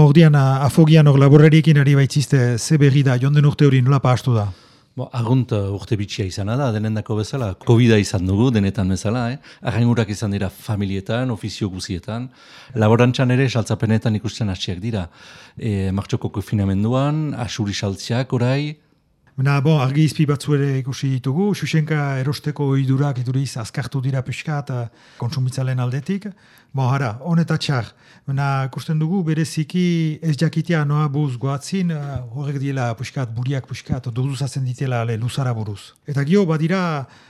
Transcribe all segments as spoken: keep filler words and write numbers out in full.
ordian afogian hor laborariekin ari baitzizte ze berri da, jonden urte hori nola pahastu da? Bo, argunt urte bitxia izana da, denendako bezala, Covida izan dugu, denetan bezala, eh? Arraingurak izan dira familietan, ofizio guzietan, laborantzan ere saltzapenetan ikusten hasiak dira. E, martxoko konfinamenduan, asuri saltziak orai. Bena, bon, argi izpi batzu ere ikusi ditugu, Xuxenka erosteko ohidurak iduriz azkartu dira pixka eta kontsumitzalen aldetik. Bon, hara, honetat txar. Bena, ikusten dugu, bereziki ez jakitea noa buz goatzin, uh, horrek diela puskat, buriak puskat, doduzazen ditela ale, luzara buruz. Eta gio, badira,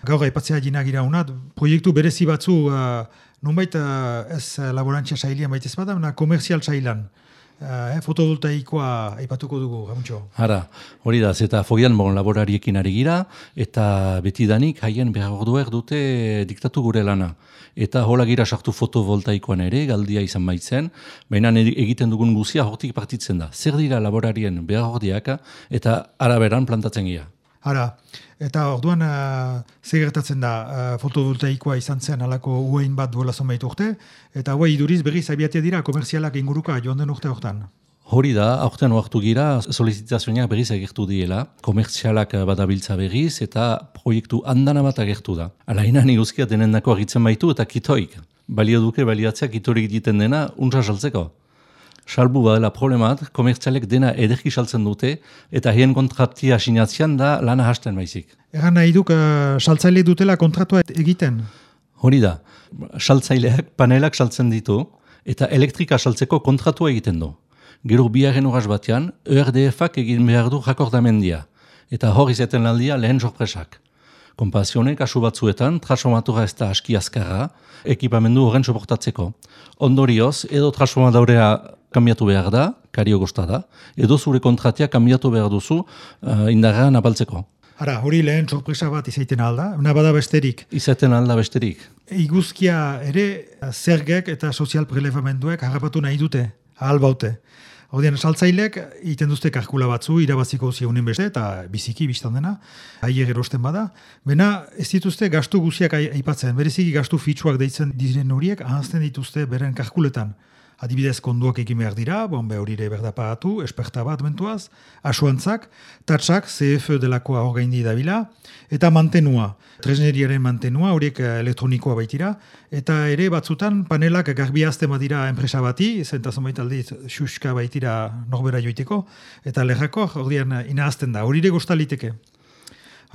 gaur aipatzea jinagira unat, proiektu berezi batzu, uh, nonbait uh, ez laborantzia sailean baitez bada, bena komerzial sailan. Uh, eh, fotovoltaikoa aipatuko dugu, Gamuntxo. Hara, hori da, zeta fogian bon laborariekin ari gira, eta betidanik haien behar orduer dute diktatu gure lana. Eta hola gira sartu fotovoltaikoan ere, galdia izan baitzen, baina egiten dugun guzia hortik partitzen da. Zer dira laborarien behar ordiak, eta araberan plantatzen gira. Hara, eta orduan uh, zer gertatzen da, uh, fotovoltaikoa izan zen alako uein bat duela zonbait urte, eta hau iduriz berriz abiatea dira komerzialak inguruka joan den urte hortan. Hori da, aurten oartu gira, solicitazioak berriz agertu diela, komerzialak badabiltza berriz, eta proiektu andana bat agertu da. Alainan iguzkia denendako agitzen baitu eta kitoik. Balio duke baliatzea kitorik egiten dena, untsa saltzeko. Salbu badela problemat, komertzialek dena ederki saltzen dute, eta hien kontratia sinatzean da lana hasten baizik. Egan nahi duk, uh, saltzaile dutela kontratua egiten? Hori da, saltzaileak panelak saltzen ditu, eta elektrika saltzeko kontratua egiten du. Gero biaren horaz batean, E R D F-ak egin behar du jakordamendia, eta hor izaten aldia lehen sorpresak. Konpazionek kasu batzuetan, transformatura ez da aski azkarra, ekipamendu horren soportatzeko. Ondorioz, edo transformadaurea kambiatu behar da, kario gosta da, edo zure kontratia kambiatu behar duzu uh, indarrean apaltzeko. Hara, hori lehen sorpresa bat izaiten alda, nabada besterik. Izaten alda besterik. Iguzkia ere zergek eta sozial prelevamenduek harrapatu nahi dute, ahal baute. Hordian, saltzailek egiten duzte kalkula batzu, irabaziko ziunen beste, eta biziki biztan dena, haier erosten bada. Bena, ez dituzte gastu guziak aipatzen, bereziki gastu fitxuak deitzen diren horiek, ahazten dituzte beren kalkuletan. Adibidez, konduak egin behar dira, bonbe horire berdapagatu, esperta bat bentuaz, asuantzak, tatsak, C F delakoa hor gaindi dabila, eta mantenua, tresneriaren mantenua, horiek elektronikoa baitira, eta ere batzutan panelak garbiazten badira enpresa bati, zentazon baitaldiz xuska baitira norbera joiteko, eta lerrako hordian inahazten da, horire gostaliteke.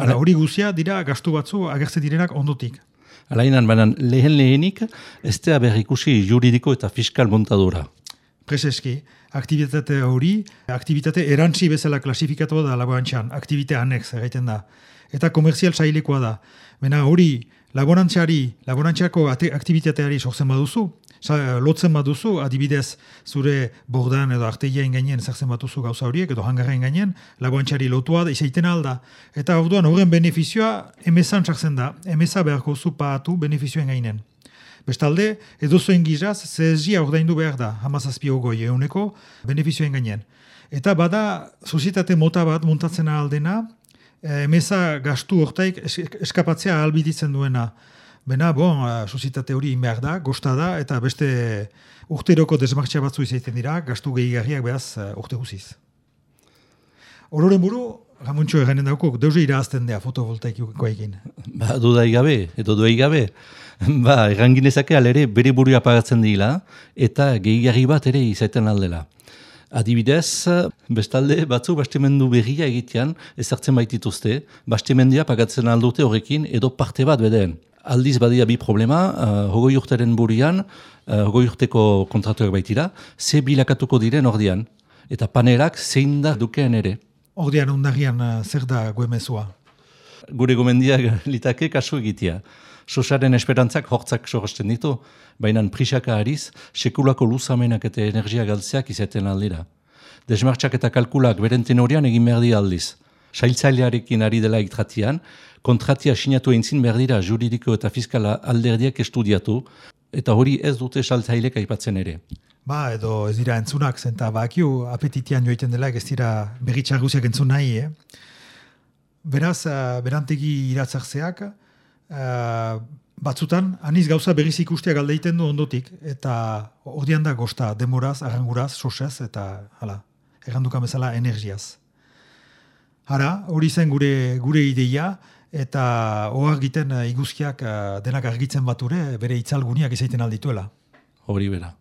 Hala, hori guzia dira gastu batzu agertzen direnak ondotik. Alainan, banan lehen lehenik, ez da berrikusi juridiko eta fiskal montadura. Prezeski, aktivitate hori, aktivitate erantzi bezala klasifikatu da laborantzian, aktivitate annex egiten da. Eta komerzial sailekoa da. Bena hori, laborantziari, laborantziako aktivitateari sortzen baduzu, lotzen baduzu, adibidez zure bordan edo arteien gainen zertzen batuzu gauza horiek, edo hangarren gainen, laborantziari lotua da, izaiten alda. Eta orduan horren benefizioa emezan sartzen da, emeza beharko zu paatu benefizioen gainen. Bestalde, edo zuen gizaz, zezia ordaindu behar da, hamazazpi ogoi euneko benefizioen gainen. Eta bada, sozietate mota bat muntatzen aldena, emeza gastu hortaik eskapatzea ahalbiditzen duena. Bena, bon, sozietate hori behar da, gosta da, eta beste urteroko desmartxia batzu izaiten dira, gastu gehigarriak behaz urte guziz. Ororen buru, Gamuntxo eganen daukok, deuze irazten dea fotovoltaikoa egin. Ba, dudai gabe, edo duai gabe. Ba, erranginezake alere bere burua pagatzen dira, eta gehigarri bat ere izaiten aldela. Adibidez, bestalde batzu bastemendu berria egitean ezartzen baitituzte, bastemendia pagatzen aldute horrekin edo parte bat bedeen. Aldiz badia bi problema, uh, hogoi urteren burian, uh, hogoi urteko kontratuak baitira, ze bilakatuko diren ordian, eta panerak zein da dukeen ere. Ordian ondarrian uh, zer da goemezua? Gure gomendiak litake kasu egitea. Sosaren esperantzak hortzak sorresten ditu, baina prisaka ariz, sekulako luzamenak eta energia galtzeak izaten aldira. Desmartxak eta kalkulak beren tenorian egin behar di aldiz. Sailtzailearekin ari dela iktratian, kontratia sinatu eintzin behar dira juridiko eta fiskala alderdiak estudiatu, eta hori ez dute saltzailek aipatzen ere. Ba, edo ez dira entzunak, zenta bakiu apetitian joiten dela, ez dira berritxar guziak entzun nahi, eh? Beraz, uh, berantegi iratzartzeak, uh, batzutan, aniz gauza berriz ikustea galdeiten du ondotik, eta ordian da gosta, demoraz, arranguraz, sosez, eta hala, errandukan bezala energiaz. Hara, hori zen gure gure ideia, eta ohar egiten iguzkiak denak argitzen bature, bere itzalguniak izaiten aldituela. Hori bera.